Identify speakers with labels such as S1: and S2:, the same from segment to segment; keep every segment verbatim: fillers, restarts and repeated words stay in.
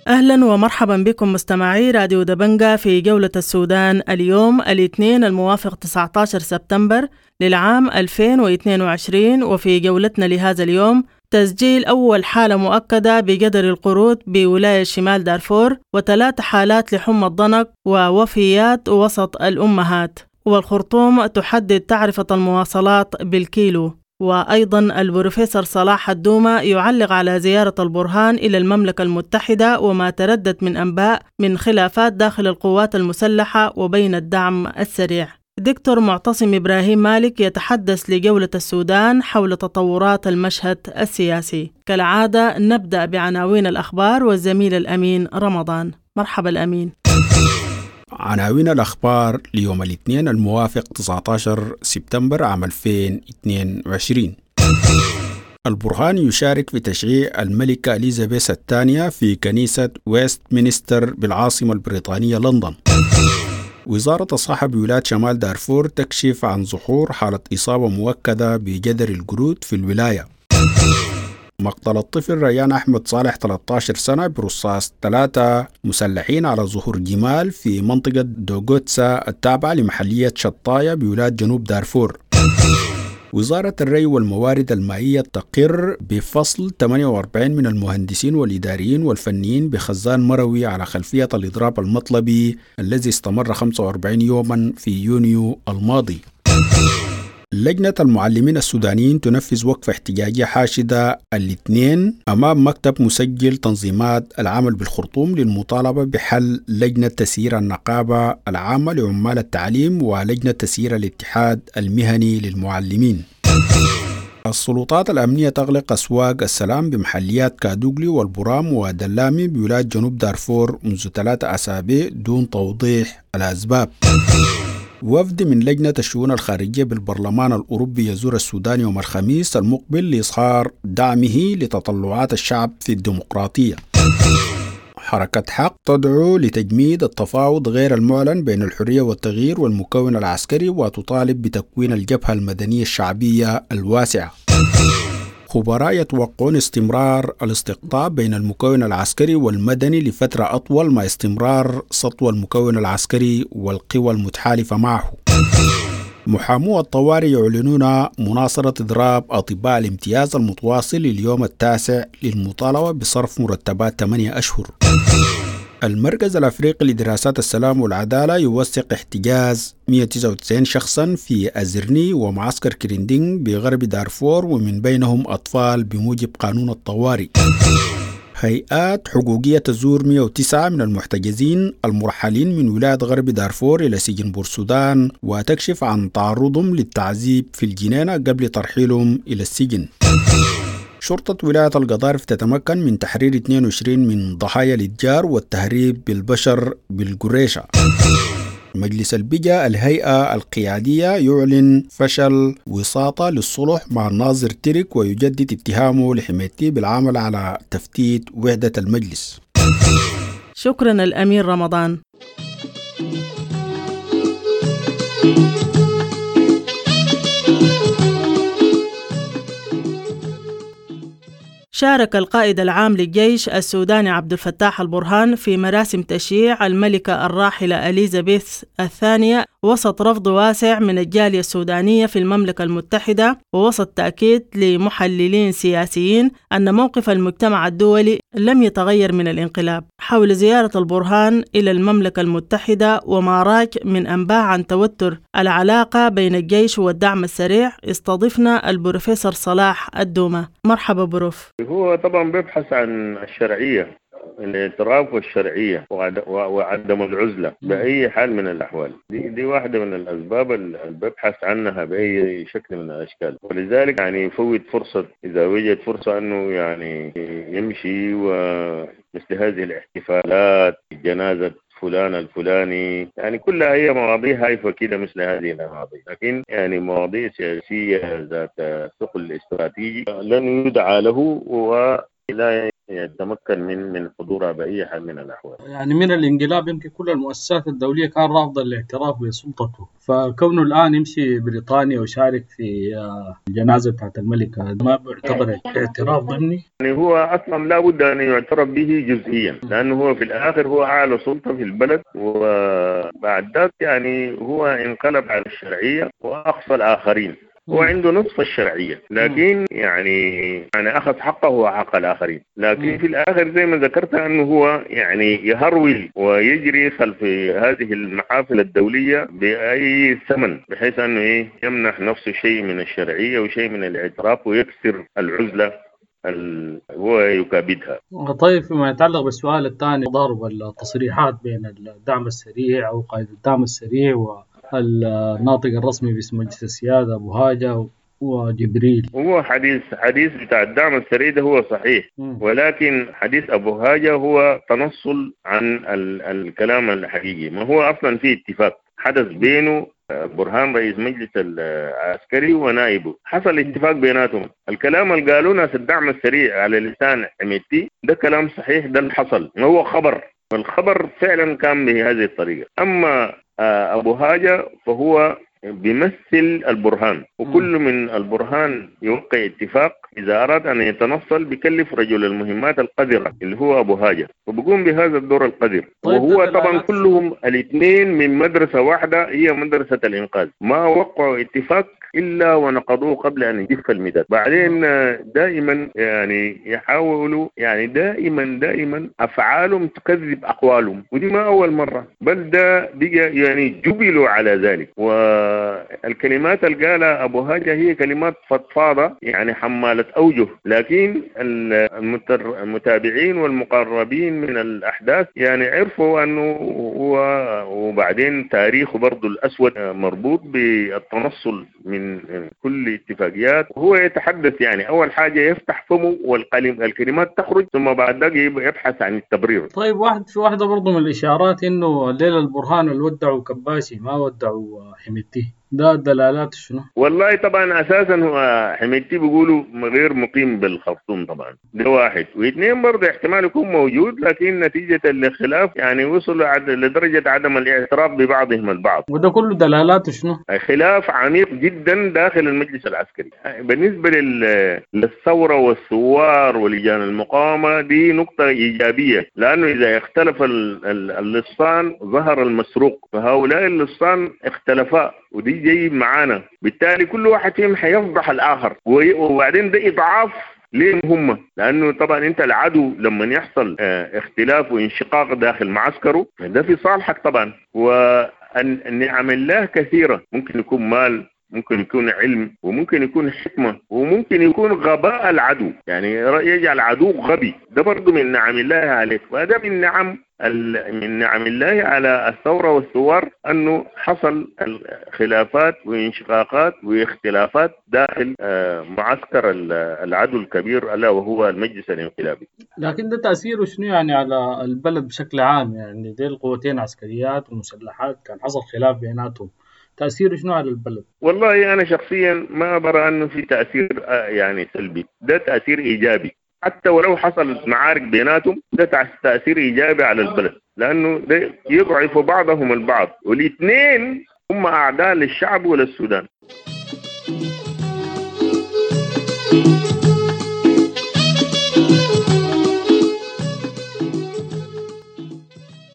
S1: أهلا ومرحبا بكم مستمعي راديو دبنجة في جولة السودان اليوم الاثنين الموافق تسعة عشر سبتمبر للعام ألفين واثنين وعشرين. وفي جولتنا لهذا اليوم تسجيل أول حالة مؤكدة بجدر القرود بولاية شمال دارفور، وثلاث حالات لحمى الضنك ووفيات وسط الأمهات، والخرطوم تحدد تعرفة المواصلات بالكيلو. وأيضا البروفيسور صلاح الدومة يعلق على زيارة البرهان إلى المملكة المتحدة وما تردد من أنباء من خلافات داخل القوات المسلحة وبين الدعم السريع. دكتور معتصم إبراهيم مالك يتحدث لجولة السودان حول تطورات المشهد السياسي. كالعادة نبدأ بعناوين الأخبار والزميل الأمين رمضان. مرحبا الأمين.
S2: عناوين الأخبار ليوم الاثنين الموافق تسعة عشر سبتمبر عام ألفين واثنين وعشرين. البرهان يشارك في تشييع الملكة إليزابيث الثانية في كنيسة ويست مينستر بالعاصمة البريطانية لندن. وزارة الصحة بولاية شمال دارفور تكشف عن ظهور حالة إصابة مؤكدة بجدر القرود في الولاية. مقتل الطفل ريان أحمد صالح ثلاثة عشر سنة برصاص ثلاثة مسلحين على ظهور جمال في منطقة دوغوتسا التابعة لمحلية شطاية بولاية جنوب دارفور. وزارة الري والموارد المائية تقر بفصل ثمانية وأربعين من المهندسين والإداريين والفنيين بخزان مروي على خلفية الإضراب المطلبي الذي استمر خمسة وأربعين يوما في يونيو الماضي. لجنة المعلمين السودانيين تنفذ وقفة احتجاجية حاشدة الاثنين أمام مكتب مسجل تنظيمات العمل بالخرطوم للمطالبة بحل لجنة تسيير النقابة العامة لعمال التعليم ولجنة تسيير الاتحاد المهني للمعلمين. السلطات الأمنية تغلق أسواق السلام بمحليات كادوغلي والبرام ودلامي بولاية جنوب دارفور منذ ثلاثة أسابيع دون توضيح الأسباب. وفد من لجنة الشؤون الخارجية بالبرلمان الأوروبي يزور السودان يوم الخميس المقبل لإظهار دعمه لتطلعات الشعب في الديمقراطية. حركة حق تدعو لتجميد التفاوض غير المعلن بين الحرية والتغيير والمكون العسكري وتطالب بتكوين الجبهة المدنية الشعبية الواسعة. خبراء يتوقعون استمرار الاستقطاب بين المكون العسكري والمدني لفترة أطول مع استمرار سطو المكون العسكري والقوى المتحالفة معه. محامو الطوارئ يعلنون مناصرة إضراب أطباء الامتياز المتواصل لليوم التاسع للمطالبة بصرف مرتبات ثمانية أشهر. المركز الأفريقي لدراسات السلام والعدالة يوثق احتجاز مئة وتسعة وتسعين شخصا في أزرني ومعسكر كريندينغ بغرب دارفور ومن بينهم أطفال بموجب قانون الطوارئ. هيئات حقوقية تزور مئة وتسعة من المحتجزين المرحلين من ولاية غرب دارفور إلى سجن بورسودان وتكشف عن تعرضهم للتعذيب في الجنينة قبل ترحيلهم إلى السجن. شرطة ولاية القضارف تتمكن من تحرير اثنين وعشرين من ضحايا الاتجار والتهريب بالبشر بالقريشة. مجلس البجا الهيئة القيادية يعلن فشل وساطة للصلح مع الناظر ترك ويجدد اتهامه لحميتي بالعمل على تفتيت وحدة المجلس.
S1: شكرا الأمير رمضان. شارك القائد العام للجيش السوداني عبد الفتاح البرهان في مراسم تشييع الملكة الراحلة إليزابيث الثانية وسط رفض واسع من الجالية السودانية في المملكة المتحدة، ووسط تأكيد لمحللين سياسيين أن موقف المجتمع الدولي لم يتغير من الانقلاب. حول زيارة البرهان إلى المملكة المتحدة وما راج من أنباء عن توتر العلاقة بين الجيش والدعم السريع، استضفنا البروفيسور صلاح الدومة. مرحبا بروف.
S3: هو طبعا بيبحث عن الشرعية، الاعتراف والشرعية وعدم العزلة بأي حال من الأحوال. دي, دي واحدة من الأسباب اللي ببحث عنها بأي شكل من الأشكال، ولذلك يعني يفوت فرصة إذا وجد فرصة أنه يعني يمشي ومثل هذه الاحتفالات، جنازة فلان الفلاني، يعني كلها هي مواضيع هايفة كده مثل هذه المواضيع، لكن يعني مواضيع سياسية ذات ثقل استراتيجي لن يدعى له ولا يتمكن من من حضورها بأي حال من الأحوال.
S4: يعني من الانقلاب يمكن كل المؤسسات الدولية كان رافضة الاعتراف بسلطته، فكونه الآن يمشي بريطانيا ويشارك في الجنازة بتاعت الملكة ما بيعتبر اعتراف ضمني؟
S3: يعني هو أصلا لا بد أن يعترف به جزئيا، لأنه هو في الآخر هو أعلى سلطة في البلد، وبعد ذلك يعني هو انقلب على الشرعية وأقصى الآخرين، هو عنده نصف الشرعية، لكن يعني يعني أخذ حقه وحق الآخرين، لكن في الآخر زي ما ذكرت أنه هو يعني يهرول ويجري خلف هذه المحافل الدولية بأي ثمن، بحيث أنه إيه يمنح نفسه شيء من الشرعية وشيء من الاعتراف ويكسر العزلة هو يكابدها.
S4: طيب فيما يتعلق بالسؤال الثاني، ضرب التصريحات بين الدعم السريع أو قائد الدعم السريع و الناطق الرسمي باسم مجلس السيادة أبو هاجة وجبريل،
S3: هو حديث حديث بتاع الدعم السريع ده هو صحيح، ولكن حديث أبو هاجة هو تنصل عن ال الكلام الحقيقي. ما هو أصلا في اتفاق حدث بينه برهان رئيس مجلس العسكري ونائبه، حصل اتفاق بيناتهم. الكلام اللي قالوه ناس الدعم السريع على لسان حميدتي ده كلام صحيح، ده اللي حصل، ما هو خبر، والخبر فعلا كان بهذه الطريقة. أما أبو هاجة فهو بيمثل البرهان، وكل من البرهان يوقع اتفاق إذا أراد أن يتنصل بكلف رجل المهمات القذرة اللي هو أبو هاجة، وبقوم بهذا الدور القذر.
S4: طيب
S3: وهو طبعا كلهم الاثنين من مدرسة واحدة، هي مدرسة الإنقاذ، ما وقعوا اتفاق إلا ونقضوه قبل أن يجف المداد. بعدين دائما يعني يحاولوا يعني دائما دائما أفعالهم تكذب أقوالهم، ودي ما أول مرة، بل ده بقى يعني جبلوا على ذلك. والكلمات اللي قالها أبو هاجة هي كلمات فضفاضة يعني حمالة أوجه، لكن المتابعين والمقربين من الأحداث يعني عرفوا أنه هو، وبعدين تاريخه برضو الأسود مربوط بالتنصل من كل اتفاقيات. وهو يتحدث يعني أول حاجة يفتح فمه والكلمات تخرج، ثم بعد ذلك يبحث عن التبرير.
S4: طيب واحد في واحدة برضو من الإشارات إنه الليلة البرهان اللي ودعوا كباشي ما ودعوا حميدتي، ده دلالات شنو؟
S3: والله طبعا اساسا هو حميدتي بيقولوا غير مقيم بالخرطوم طبعا، ده واحد، واثنين برضه احتمال يكون موجود، لكن نتيجة الخلاف يعني وصلوا لدرجة عدم الاعتراف ببعضهم البعض.
S4: وده كله دلالات شنو؟
S3: خلاف عميق جدا داخل المجلس العسكري. بالنسبة للثورة والثوار ولجان المقاومة دي نقطة إيجابية، لأنه إذا اختلف اللصان ظهر المسروق، فهؤلاء اللصان اختلفا ودي جاي معانا، بالتالي كل واحد فيهم حيفضح الآخر، وبعدين ده إضعاف ليه هم، لأنه طبعا أنت العدو لما يحصل اختلاف وانشقاق داخل معسكره ده في صالحك طبعا. والنعم الله كثيرة، ممكن يكون مال، ممكن يكون علم، وممكن يكون حكمة، وممكن يكون غباء العدو، يعني يجعل عدو غبي، ده برضو من نعم الله عليك. وهذا من نعم من نعم الله على الثورة والثوار أنه حصل خلافات وانشقاقات واختلافات داخل معسكر العدو الكبير ألا وهو المجلس الانقلابي.
S4: لكن ده تأثيره شنو يعني على البلد بشكل عام؟ يعني دي القوتين عسكريات ومسلحات كان حصل خلاف بيناتهم، تأثيره شنو على البلد؟
S3: والله أنا شخصيا ما برى أنه في تأثير يعني سلبي، ده تأثير إيجابي، حتى ولو حصل معارك بيناتهم ده تأثير إيجابي على البلد، لأنه ده يضعف بعضهم البعض، والاثنين هم أعداء للشعب وللسودان.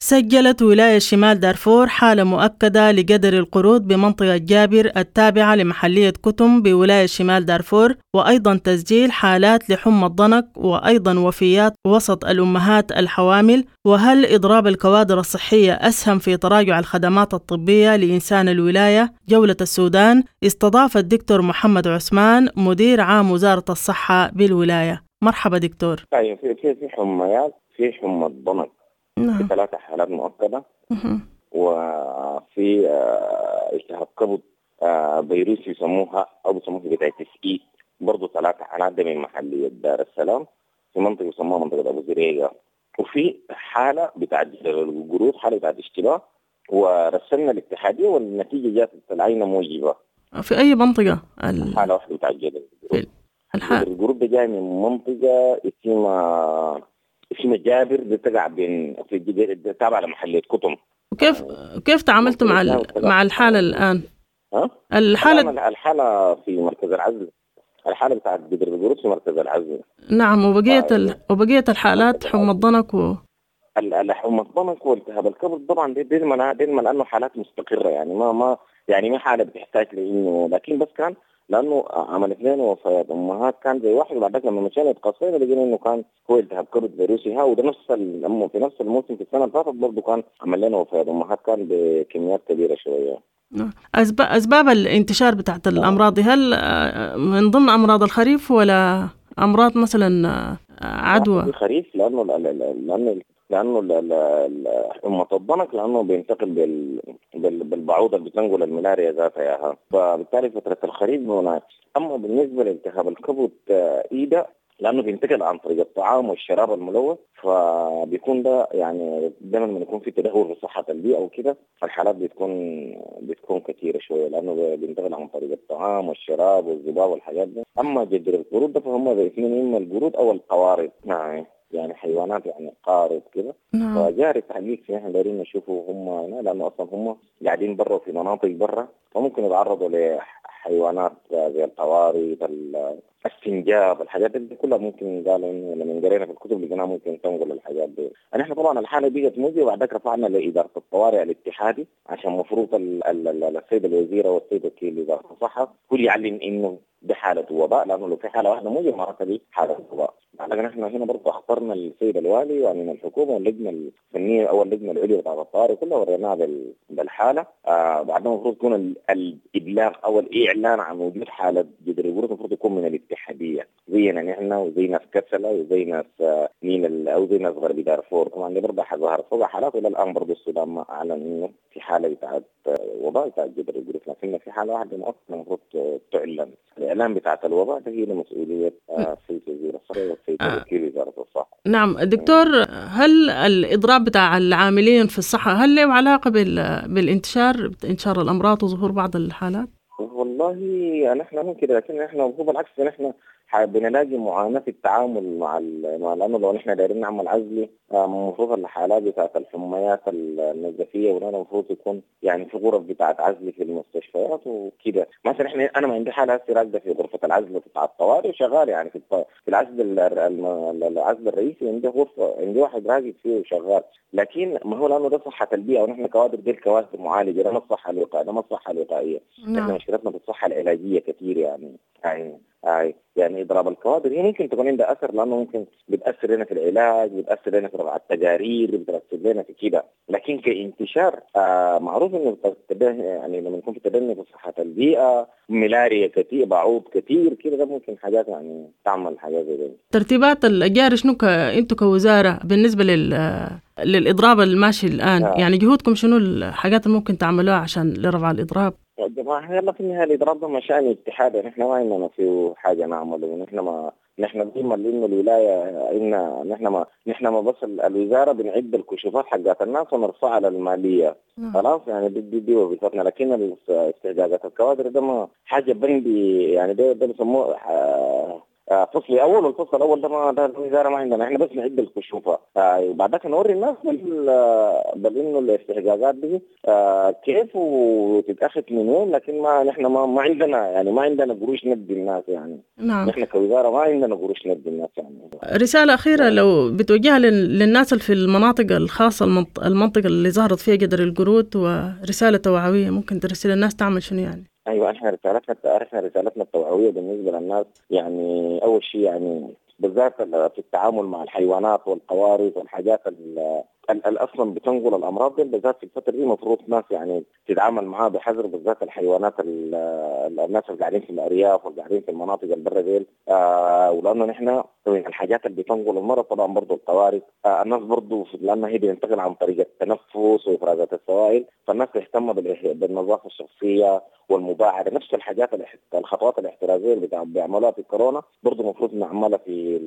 S1: سجلت ولاية شمال دارفور حالة مؤكدة لجدر القرود بمنطقة جابر التابعة لمحلية كتم بولاية شمال دارفور، وأيضا تسجيل حالات لحمى الضنك، وأيضا وفيات وسط الأمهات الحوامل. وهل إضراب الكوادر الصحية أسهم في تراجع الخدمات الطبية لإنسان الولاية؟ جولة السودان استضاف الدكتور محمد عثمان مدير عام وزارة الصحة بالولاية. مرحبا دكتور.
S5: طيب في في حميات، في حمى الضنك. نعم. في ثلاثة حالات مؤكدة، وفي التهاب كبد فيروسي يسموها أو بيسموها hepatitis E، برضه ثلاثة حالات، ده من محلية دار السلام في منطقة يسموها منطقة أبو زريقة. وفي حالة بتاعت القرود، حالة بتاعت اشتباه، ورسلنا الاتحادية والنتيجة جات العينة موجبة.
S1: في أي منطقة؟
S5: حالة واحدة بتاعت القرود.
S1: الح...
S5: القرود ده جاي من منطقة اسمها اسمها جابر، بتقع بين في تابعه لمحليه قطن.
S1: وكيف كيف تعاملتوا مع ال... مع الحالة الان؟
S5: ها؟
S1: الحالة
S5: الحالة في مركز العزل، الحالة بتاعت جدر القرود في مركز العزل.
S1: نعم. وبقية ال... وبقية الحالات حمى الضنك و
S5: حمى الضنك والتهاب الكبد طبعا دي دي دي لانه حالات مستقره، يعني ما ما يعني ما حاله بتحتاج لانه، لكن بس كان لانه عملت لنا وفيات امهات كان زي واحد، وبعد لما مشينا اتقصينا لقينا انه كان هو التهاب كبد فيروسي ها، وده نفس في نفس الموسم في السنة اللي فاتت برضه كان عمل لنا وفيات امهات كان بكميات كبيرة شوية.
S1: أسباب الانتشار بتاعت الأمراض دي هل من ضمن أمراض الخريف ولا أمراض مثلا عدوى؟
S5: الخريف لأنه لأنه لأنه حمى الضنك لأنه بينتقل بال بالبعوضة اللي بتنقل الملاريا ذاتها ياها، فبالتالي فترة الخريف هناك. أما بالنسبة لالتهاب الكبد إيدا لأنه بينتقل عن طريق الطعام والشراب الملوث، فبيكون ده يعني دائما لما يكون في تدهور في صحة البيئة وكده الحالات بتكون بتكون كثيرة شوية، لأنه بينتقل عن طريق الطعام والشراب والذباب والحاجات دي. أما جدر القرود ده فهم الاثنين، إما القرود أو القوارض، نعم يعني حيوانات يعني قارب كده.
S1: نعم.
S5: فجاري تحقيق في احنا دايرين نشوفه هم هنا، لانه اصلا هم قاعدين برا في مناطق برا، فممكن يتعرضوا لحيوانات زي القوارض، السنجاب، الحاجات دي كلها ممكن قالوا انه لما قرينا في الكتب لقيناها ممكن تنقل الحاجات دي. نحن طبعا الحالة بقت موجه، وبعد رفعنا لادارة الطوارئ الاتحادي عشان المفروض السيد الوزيرة والسيد وكيل وزارة الصحة كل يعلن انه دي حاله وباء، لانه لو في حاله واحدة موجه معناتها دي حاله وباء. لكن احنا هنا برضه اخبرنا السيد الوالي ومن الحكومة واللجنة الفنية او اللجنة العليا بتاعت الطوارئ كلها وريناها بالحالة. آه بعدين المفروض يكون الابلاغ او الاعلان عن وجود حاله جدر القرود المفروض يكون من الاتحادية، زينا نحن وزي ناس كسله وزي ناس نيل او زي ناس غرب دارفور. طبعا دي برضه ظهرت فوق حالات، والى الان برضه السودان ما اعلن انه في حاله بتاعت وباء بتاعت جدر القرود، لكن في حاله واحدة مؤقتة المفروض تعلن. الاعلان بتاعت الوباء ده هي مسؤولية السيد وزير الصحة والسيد وكيل وزارة الصحة.
S1: نعم دكتور، هل الاضراب بتاع العاملين في الصحة هل له علاقة بالانتشار انتشار الامراض وظهور بعض الحالات؟
S5: والله نحن ممكن، لكن احنا هو بالعكس نحن بنلاقي معاناة في التعامل مع مع لانه لو نحن دايرين نعمل عزل المفروض الحالات بتاعت الحميات النزفيه ولا المفروض يكون يعني في غرف بتاعت عزل في المستشفيات وكده. مثلا احنا انا ما عندي حاله هسه راكده في غرفة العزل بتاع الطوارئ وشغال يعني في في العزل العزل الرئيسي عندي غرفة عندي واحد راقد فيه وشغال، لكن ما هو لانه ده صحة البيئة ونحن كوادر دي الكوادر معالجة، ده ما الصحة الوقائية، ده ما الصحة الوقائية. نحن مشكلتنا في الصحة العلاجية كثير يعني يعني آي. يعني اضراب الكوادر هي ممكن تكون عندها اثر، لانه ممكن بتاثر لنا في العلاج، بتاثر لنا في رفع التقارير، بتاثر لنا في كده، لكن كانتشار آه معروف انه يعني لما يكون في تدني في صحة البيئة، ملاريا كثير، بعوض كثير كده، ده ممكن حاجات يعني تعمل حاجات زي دي.
S1: ترتيبات الجاري شنو ك... انتوا كوزارة بالنسبة لل للاضراب الماشي الان؟ آه. يعني جهودكم شنو الحاجات اللي ممكن تعملوها عشان لرفع الاضراب؟
S5: يا جماعة يلا في النهاية الاضراب ده مشان اتحاد، نحن ما عندنا فيه حاجة نعمله، ونحن ما نحن ديما لانه الولاية ان نحن ما نحن ما بس الوزارة بنعد الكشوفات حقات الناس ونرفعها للماليه خلاص، يعني دي دي, دي وظيفتنا. لكن استحقاقات الكوادر ده ما حاجة بندي يعني ده ده بيسموه فصل اول، والفصل الاول ده ما ده الوزارة ما عندنا، احنا بس نعد الكشوفه وبعد ذاك نوري الناس بال بال انه الاستحقاقات دي كيف وتتاخذ من وين، لكن ما نحن ما ما عندنا يعني ما عندنا قروش ندي الناس يعني.
S1: نعم.
S5: نحن كوزارة ما عندنا قروش ندي الناس يعني.
S1: رسالة اخيرة لو بتوجهها للناس اللي في المناطق الخاصة، المنطقة اللي ظهرت فيها جدر القرود، ورسالة توعوية ممكن ترسل الناس تعمل شنو يعني؟
S5: ايوه احنا رسالتنا احنا رسالتنا التوعوية بالنسبة للناس يعني اول شيء يعني بالذات في التعامل مع الحيوانات والقوارض والحاجات اللي اصلا بتنقل الامراض دي، بالذات في الفترة دي المفروض ناس يعني تتعامل معاها بحذر، بالذات الحيوانات الناس اللي قاعدين في الارياف واللي قاعدين في المناطق البرة ديل، آه ولانه نحن الحاجات اللي بتنقل المرض طبعا برضه القوارض، آه الناس برضه لانها هي بتنتقل عن طريق التنفس وافرازات السوائل، فالناس تهتم بالنظافة الشخصية والمباعده، نفس الحاجات الخطوات الاحترازية اللي بيعملوها في الكورونا برضه المفروض نعملها في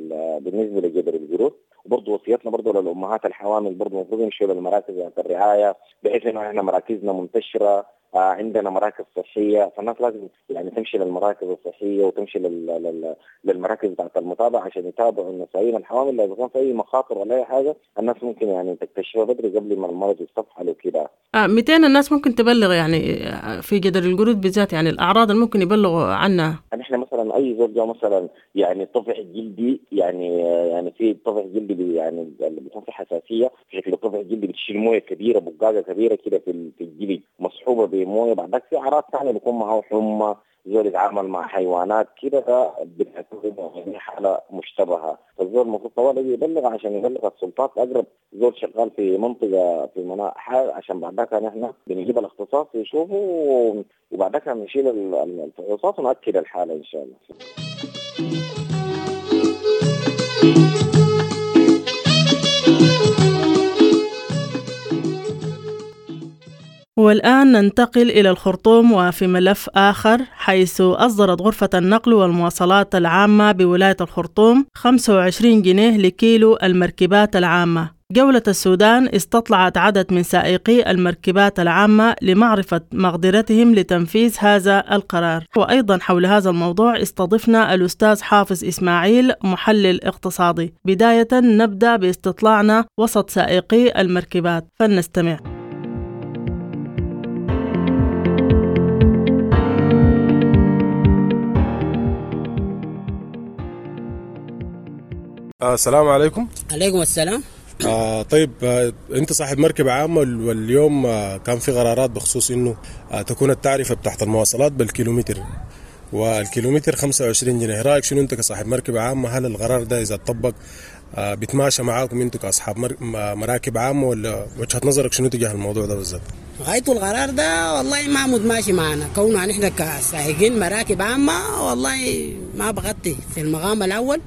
S5: بالنسبة لجدر القرود. وبرضه وصيتنا برضه للامهات الحوامل برضه المفروض يمشوا للمراكز بتاعت الرعاية، بحيث انه احنا مراكزنا منتشرة عندنا مراكز صحية، فالناس لازم يعني تمشي للمراكز الصحية وتمشي لل... لل... للمراكز بتاعت المتابعة عشان يتابعوا النسائين الحوامل، لو كان في اي مخاطر ولا اي حاجة الناس ممكن يعني تكتشفها بدري قبل ما المرض يستفحل وكده.
S1: آه مئتين الناس ممكن تبلغ يعني في جدر القرود بالذات، يعني الاعراض اللي ممكن يبلغوا عنها؟
S5: نحن مثلا اي زول جاء مثلا يعني طفح جلدي، يعني يعني في طفح جلدي يعني اللي بيكون في حساسية في شكل طفح جلدي، بتشيل مويه كبيرة بقاقه كبيرة كده في الجلد مصحوبه بمويه. بعدك في اعراض ثانية بيكون معه حمى، زول يتعامل مع حيوانات كده، ده بتعتبر حاله مشتبهة، فالزول المفروض طوال يبلغ عشان يبلغ السلطات اقرب زول شغال في منطقة في مناطق عشان بعدك نحن بنجيب الاختصاص يشوفه، وبعدك نشيل الفحوصات ونأكد الحالة ان شاء الله.
S1: والآن ننتقل إلى الخرطوم وفي ملف آخر، حيث أصدرت غرفة النقل والمواصلات العامة بولاية الخرطوم خمسة وعشرين جنيه لكيلو المركبات العامة. جولة السودان استطلعت عدد من سائقي المركبات العامة لمعرفة مقدرتهم لتنفيذ هذا القرار، وأيضا حول هذا الموضوع استضفنا الأستاذ حافظ إسماعيل محلل اقتصادي. بداية نبدأ باستطلاعنا وسط سائقي المركبات، فلنستمع.
S6: السلام عليكم.
S7: عليكم السلام.
S6: آه طيب آه انت صاحب مركبة عامة، واليوم آه كان في قرارات بخصوص انه آه تكون التعرفة بتاعت المواصلات بالكيلومتر، والكيلومتر خمسة وعشرين جنيه. رايك شنو انت كصاحب مركبة عامة؟ هل القرار ده اذا اتطبق آه بيتماشى معاكم انتوا كاصحاب مر... مراكب عامة، ولا وجهة نظرك شنو تجاه الموضوع ده بالذات؟
S7: غاية القرار ده والله ما متماشي معنا، كونه نحن كسائقين مراكب عامة والله ما بغطي في المقام الاول،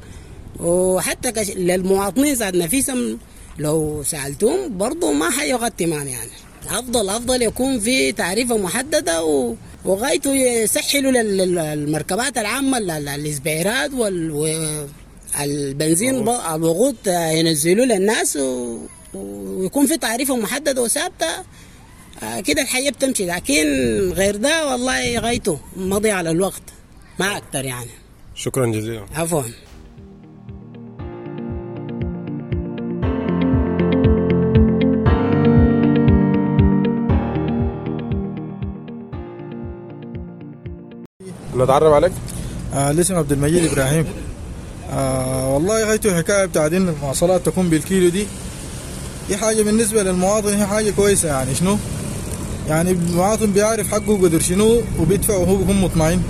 S7: وحتى كش... للمواطنين ذات نفسهم لو سألتهم برضو ما حيغطي معنا. يعني أفضل أفضل يكون في تعريفة محددة و... وغايته يسهلوا للمركبات العامة الإسبيرات وال... والبنزين الوقود ينزلوا للناس و... ويكون في تعريفة محددة وثابتة كده الحياة بتمشي، لكن غير ده والله غايته مضي على الوقت ما أكتر يعني.
S6: شكرا جزيلا.
S7: عفوا.
S6: نتعرف عليك؟
S8: آه الاسم عبد المجيد ابراهيم. آه والله غايته حكاية بتاعت ان المواصلات تكون بالكيلو دي، دي حاجة بالنسبة للمواطن هي حاجة كويسة. يعني شنو؟ يعني المواطن بيعرف حقه قدر شنو وبيدفع وهو بيكون مطمئن.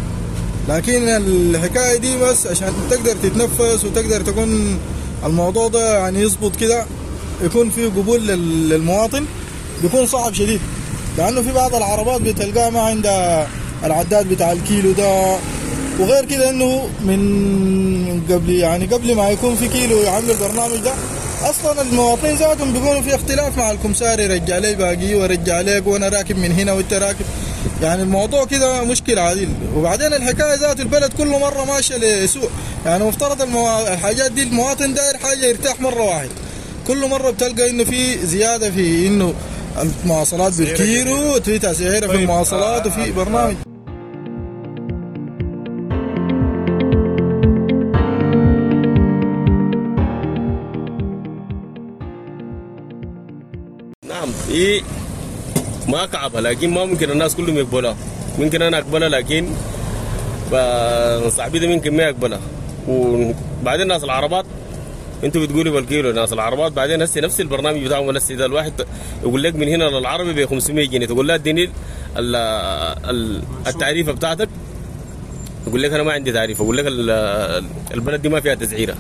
S8: لكن الحكاية دي بس عشان تقدر تتنفس وتقدر تكون الموضوع ده يعني يظبط كده، يكون فيه قبول للمواطن، بيكون صعب شديد، لانه في بعض العربات بتلقاها ما عندها العداد بتاع الكيلو ده، وغير كده انه من قبل يعني قبل ما يكون في كيلو يعمل البرنامج ده اصلا المواطنين ذاتهم بيكونوا في اختلاف مع الكمساري، رجع لي باقي ورجع لك وانا راكب من هنا وانت راكب، يعني الموضوع كده مشكلة عديل. وبعدين الحكاية ذات البلد كل مرة ماشية لسوء، يعني مفترض المو... الحاجات دي المواطن داير حاجة يرتاح مرة واحد، كل مرة بتلقى انه في زيادة في انه المواصلات بالكيلو، وفي تسعيره في المواصلات، وفي برنامج.
S9: نعم إيه ما كعبة، لكن ما ممكن الناس كلهم يقبلها. ممكن أنا أقبلها، لكن صاحبي ده ممكن ما يقبلها. وبعدين ناس العربات انتوا بتقولوا بالكيلو، ناس العربات بعدين هسه نفس البرنامج بتاعهم هسه ده الواحد يقول لك من هنا للعربي ب خمسمية جنيه، تقول له اديني التعريفه بتاعتك، يقول لك انا ما عندي تعريفه، يقول لك البلد دي ما فيها تسعيره،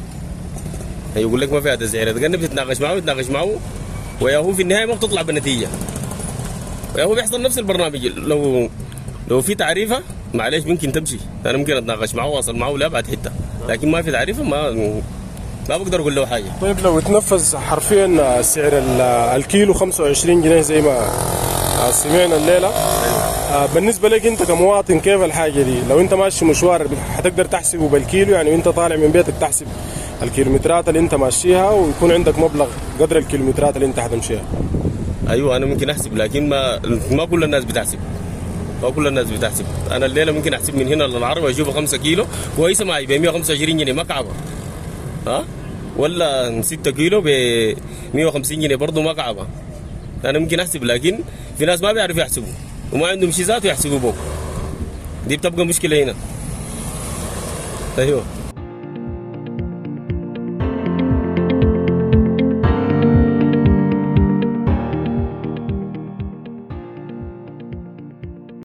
S9: يقول لك ما فيها تسعيره، تقنب تتناقش معه تتناقش معه ويا هو في النهاية ما بتطلع بنتيجة، ويا هو بيحصل نفس البرنامج. لو لو في تعريفه معلش ممكن تمشي، انا ممكن اتناقش معه واصل معه لابعد حتة، لكن ما في تعريفه ما ما بقدر اقول له حاجة.
S6: طيب لو تنفذ حرفيا سعر الكيلو خمسة وعشرين جنيه زي ما سمعنا الليلة، بالنسبة لك انت كمواطن كيف الحاجة دي؟ لو انت ماشي مشوار حتقدر تحسبه بالكيلو، يعني وانت طالع من بيتك تحسب الكيلومترات اللي انت ماشيها ويكون عندك مبلغ قدر الكيلومترات اللي انت حتمشيها.
S9: ايوه انا ممكن احسب، لكن ما ما كل الناس بتحسب. ما كل الناس بتحسب. انا الليلة ممكن احسب من هنا للعربية اشوفها خمسة كيلو كويسة معي ب مية وخمسة وعشرين جنيه ما كعبه، ها ولا ستة كيلو ب مية وخمسين جنيه برضه ما كعبه. انا ممكن احسب، لكن في ناس ما بيعرفوا يحسبوا وما عندهم شيء ذاته يحسبوا بوك، دي بتبقى مشكلة هنا. ايوه.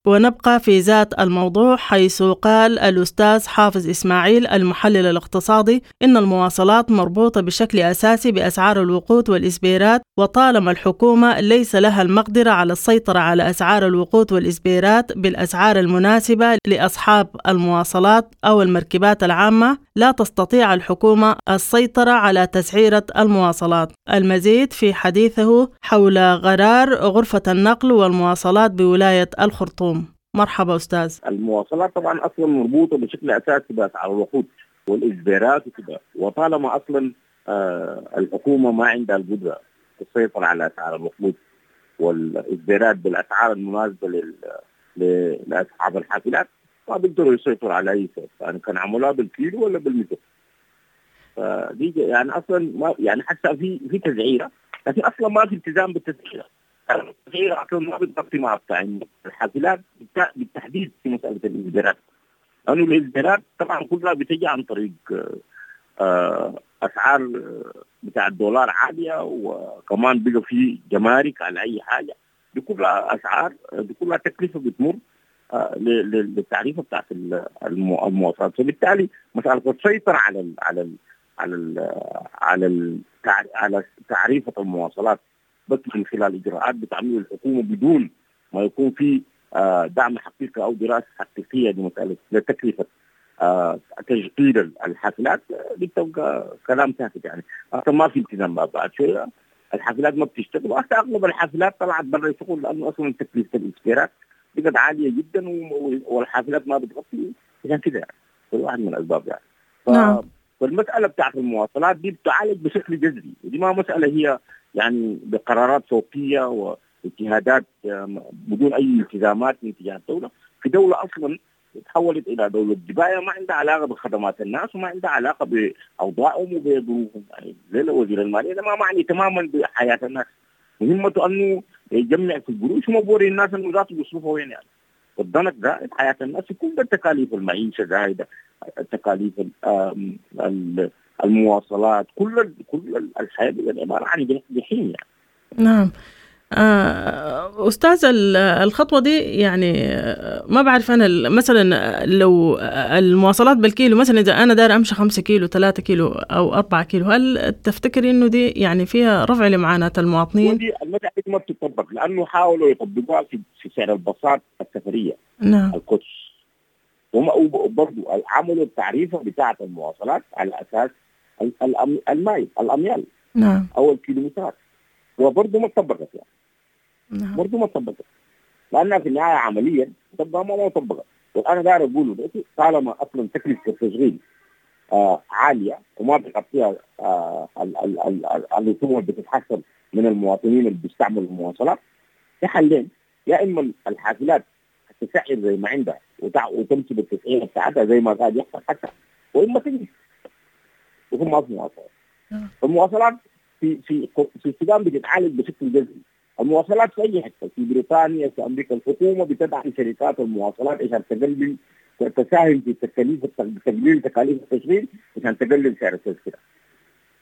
S1: ونبقى في ذات الموضوع، حيث قال الأستاذ حافظ إسماعيل المحلل الاقتصادي إن المواصلات مربوطة بشكل أساسي بأسعار الوقود والإسبيرات، وطالما الحكومة ليس لها المقدرة على السيطرة على أسعار الوقود والإسبيرات بالأسعار المناسبة لأصحاب المواصلات أو المركبات العامة، لا تستطيع الحكومة السيطرة على تسعيرة المواصلات. المزيد في حديثه حول قرار غرفة النقل والمواصلات بولاية الخرطوم. مرحبا أستاذ.
S5: المواصلات طبعا أصلا مربوطة بشكل أساسي بأسعار الوقود والإجبارات وكده، وطالما أصلا آه الحكومة ما عندها القدرة تسيطر على أسعار الوقود والإجبارات بالأسعار المناسبة لل... لأصحاب الحافلات، ما بيقدروا يسيطروا على أي شيء، يعني كان عملوها بالكيلو ولا بالمتر. فدي يعني أصلا ما يعني حتى في في تسعيرة، لكن أصلا ما في التزام بالتسعيرة. التسعيرة أصلا ما بتغطي مع بتاع الحافلات بالتحديد في مسألة الإجبارات، لأنه الإجبارات طبعا كلها بتجي عن طريق أسعار بتاع الدولار عالية، وكمان بقى في جمارك على أي حاجة، دي كلها أسعار، دي كلها تكلفة بتمر للتعريفة بتاعت المواصلات. فبالتالي مسألة السيطرة على ال على ال على ال على ال على تعريفة المواصلات بس من خلال إجراءات بتعمل الحكومة بدون ما يكون في دعم حقيقي أو دراسة حقيقية لمسألة لتكلفة تشغيل الحافلات، دي بتبقى كلام ساكت. يعني أصلا ما في التزام بعد شوية الحافلات ما بتشتغل، وحتى أغلب الحافلات طلعت برا الشغل لأنه أصلا تكلفة الإشتراك بقت عالية جدا والحافلات ما بتغطي، عشان كده يعني واحد من الأسباب يعني. ف... نعم. فالمسألة بتاعت المواصلات دي بتعالج بشكل جذري، ودي ما مسألة هي يعني بقرارات فوقية واجتهادات بدون أي التزامات من تجاه الدولة. في دولة أصلا تحولت إلى دولة جباية ما عندها علاقة بخدمات الناس وما عندها علاقة بأوضاعهم وبظروفهم. يعني زي وزير المالية ده ما معني تماما بحياة الناس، مهمته أنه يجمع في القروش وما بوري الناس أنه ذاته بيصرفها وين يعني. والضنك ده حياة الناس كل التكاليف المعيشة زايدة، التكاليف المواصلات، كل كل الحياة عبارة عن جحيم يعني.
S1: نعم. أستاذ، الخطوة دي يعني ما بعرف أنا مثلا لو المواصلات بالكيلو، مثلا إذا أنا داير أمشي خمسة كيلو ثلاثة كيلو أو أربعة كيلو، هل تفتكر إنه دي يعني فيها رفع لمعاناة المواطنين؟
S5: ودي المسألة ما بتطبق لأنه حاولوا يطبقوها في سعر الباصات السفرية.
S1: نعم.
S5: الكوتش، وبرضه عملوا التعريفة بتاعة المواصلات على أساس المايل الأميال.
S1: نعم.
S5: أو الكيلومترات، وبرضه ما طبقت يعني.
S1: نعم.
S5: برضه ما طبقت لأنها في النهاية عمليا تبقى ما ما طبقت. وأنا داير أقوله دلوقتي طالما أصلا تكلفة التشغيل آه عالية وما بتغطيها آه الرسوم اللي بتتحصل من المواطنين اللي بيستعملوا المواصلات، في حلين: يا إما الحافلات تسعر زي ما عندها وتمشي بالتسعير بتاعتها زي ما قاعد يحصل حتى، وإما تجي وهم ما في مواصلات. المواصلات في في في السودان بتتعالج بشكل جذري. المواصلات في اي حتة، في بريطانيا، في امريكا، الحكومة بتدعم شركات المواصلات عشان تقلل تساهم في تكاليف تقليل تكاليف التشغيل عشان تقلل سعر التذكرة.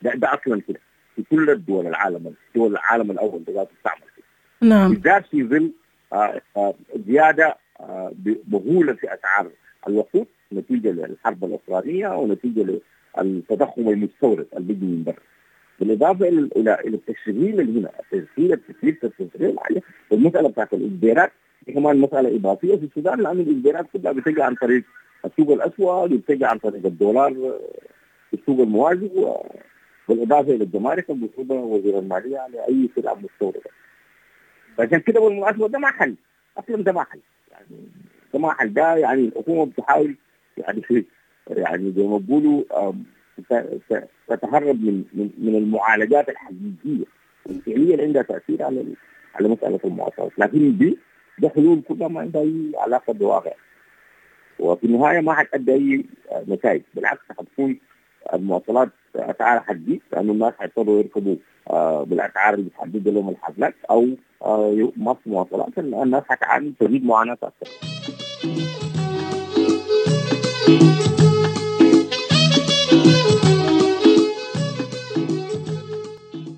S5: ده, ده اصلا كده في كل الدول العالم، دول العالم الاول ده تستعمل كده.
S1: نعم.
S5: بالذات في ظل آه آه زيادة آه مهولة في اسعار الوقود نتيجة للحرب الاوكرانية ونتيجة للتضخم المستورد اللي بيجي من برا. بالاضافة الى الى الى التشغيل اللي هنا، التشغيل التكلفة التشغيل العالية، والمسالة بتاعت الاجبارات دي كمان مسالة اضافية في السودان، لان الاجبارات كلها بتجي عن طريق السوق الاسود وبتجي عن طريق الدولار في السوق الموازي، بالاضافة الى الجمارك اللي بيفرضها وزير المالية على اي سلعه مستورده. فعشان كده بالمناسبة ده ما حل اصلا، ده ما حل يعني، ده ما حل. ده يعني الحكومة بتحاول يعني في يعني زي ما بيقولوا تتهرب من من من المعالجات الحقيقية الفعلية اللي عندها تاثير على على مسالة المواصلات، لكن دي ده حلول كلها ما عندها اي علاقة بالواقع، وفي النهاية ما حتأدي اي نتائج، بالعكس حتكون المواصلات اسعارها حتزيد لانه الناس حيضطروا يركبوا بالاسعار اللي بتحدد لهم الحفلات، او ما في مواصلات الناس حتعاني تزيد معاناة اكثر.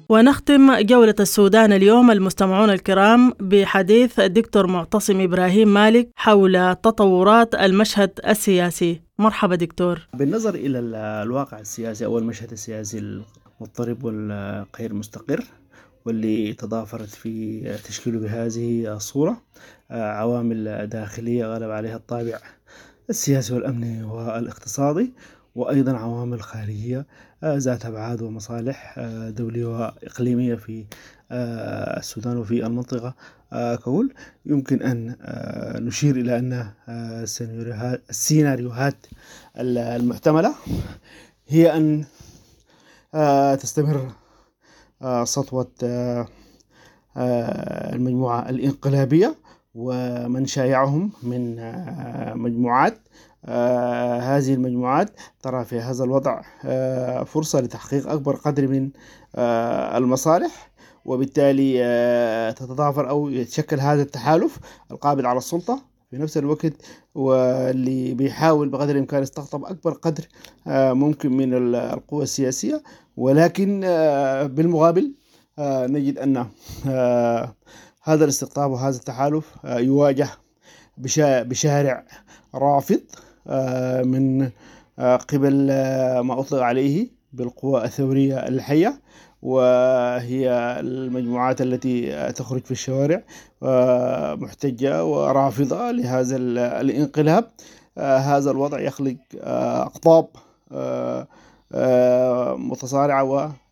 S1: ونختم جولة السودان اليوم المستمعون الكرام بحديث الدكتور معتصم إبراهيم مالك حول تطورات المشهد السياسي. مرحبا دكتور.
S10: بالنظر إلى الواقع السياسي أو المشهد السياسي المضطرب والغير مستقر واللي تضافرت في تشكيله بهذه الصورة عوامل داخلية غلب عليها الطابع السياسي والأمني والاقتصادي، وأيضا عوامل خارجية ذات أبعاد ومصالح دولية وإقليمية في السودان وفي المنطقة ككل. يمكن أن نشير إلى أن السيناريوهات المحتملة هي أن تستمر سطوة المجموعة الإنقلابية ومن شايعهم من مجموعات. آه هذه المجموعات ترى في هذا الوضع آه فرصة لتحقيق أكبر قدر من آه المصالح، وبالتالي آه تتضافر أو يتشكل هذا التحالف القابض على السلطة في نفس الوقت، واللي بيحاول بقدر الإمكان يستقطب أكبر قدر آه ممكن من القوى السياسية. ولكن آه بالمقابل آه نجد أن آه هذا الاستقطاب وهذا التحالف آه يواجه بشارع رافض من قبل ما أطلق عليه بالقوى الثورية الحية، وهي المجموعات التي تخرج في الشوارع محتجة ورافضة لهذا الانقلاب. هذا الوضع يخلق أقطاب متصارعة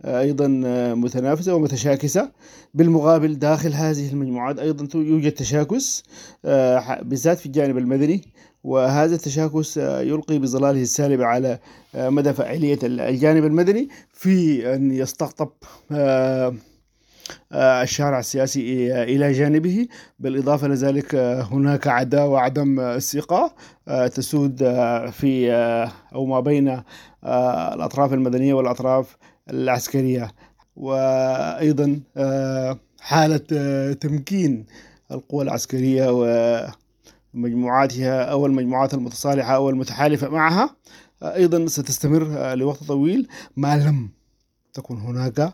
S10: وأيضا متنافسة ومتشاكسة. بالمقابل داخل هذه المجموعات أيضا يوجد تشاكس بالذات في الجانب المدني، وهذا التشاكس يلقي بظلاله السالبة على مدى فاعلية الجانب المدني في أن يستقطب الشارع السياسي إلى جانبه. بالإضافة لذلك هناك عداوة وعدم ثقة تسود في أو ما بين الأطراف المدنية والأطراف العسكرية، وأيضا حالة تمكين القوى العسكرية ومجموعاتها أو المجموعات المتصالحة أو المتحالفة معها أيضا ستستمر لوقت طويل ما لم تكن هناك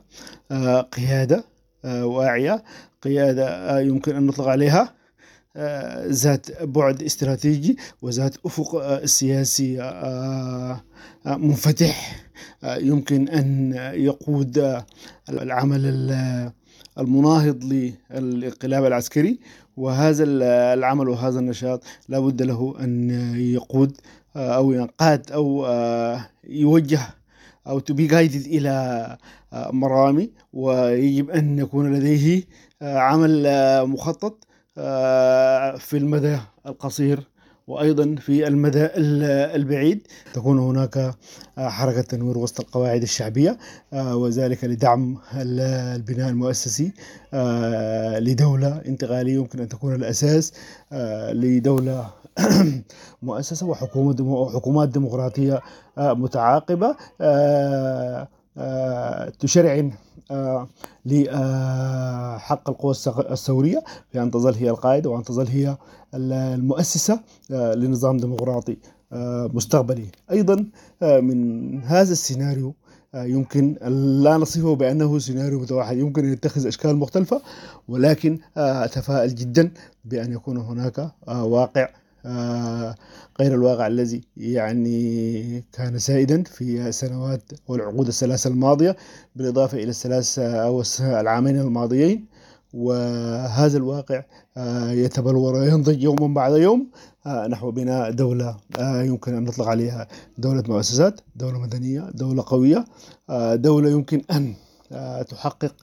S10: قيادة واعية، قيادة يمكن أن نطلق عليها ذات بعد استراتيجي وذات أفق سياسي منفتح يمكن أن يقود العمل المناهض للانقلاب العسكري. وهذا العمل وهذا النشاط لا بد له أن يقود أو ينقاد أو يوجه أو to be guided إلى مرامي، ويجب أن يكون لديه عمل مخطط في المدى القصير وأيضا في المدى البعيد. تكون هناك حركة تنوير وسط القواعد الشعبية، وذلك لدعم البناء المؤسسي لدولة انتقالية يمكن أن تكون الأساس لدولة مؤسسة وحكومات ديمقراطية متعاقبة تشرعن لحق القوى الثورية في أن تظل هي القائدة وأن تظل هي المؤسسة لنظام ديمقراطي مستقبلي. أيضا من هذا السيناريو يمكن لا نصفه بأنه سيناريو متوحد، يمكن أن يتخذ أشكال مختلفة، ولكن أتفائل جدا بأن يكون هناك واقع غير الواقع الذي يعني كان سائدا في السنوات والعقود الثلاثة الماضية، بالإضافة إلى الثلاث أو العامين الماضيين. وهذا الواقع يتبلور وينضج يوما بعد يوم نحو بناء دولة يمكن أن نطلق عليها دولة مؤسسات، دولة مدنية، دولة قوية، دولة يمكن أن تحقق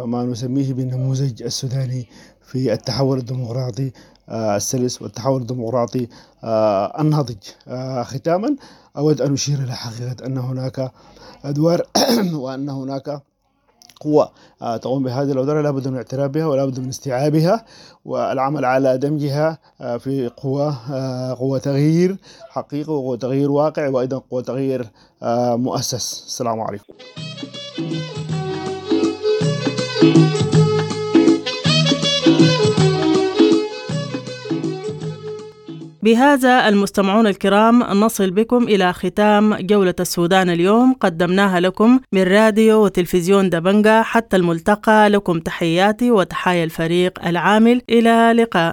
S10: ما نسميه بالنموذج السوداني في التحول الديمقراطي السلس والتحول الديمقراطي الناضج. ختاما أود أن أشير إلى حقيقة أن هناك أدوار وأن هناك قوة تقوم بهذه الأدوار لابد من الاعتراف بها ولا بد من استيعابها والعمل على دمجها في قوة قوة تغيير حقيقي وقوة تغيير واقع وأيضا قوة تغيير مؤسس. السلام عليكم.
S1: بهذا المستمعون الكرام نصل بكم إلى ختام جولة السودان اليوم، قدمناها لكم من راديو وتلفزيون دبنجا. حتى الملتقى، لكم تحياتي وتحايا الفريق العامل، إلى لقاء.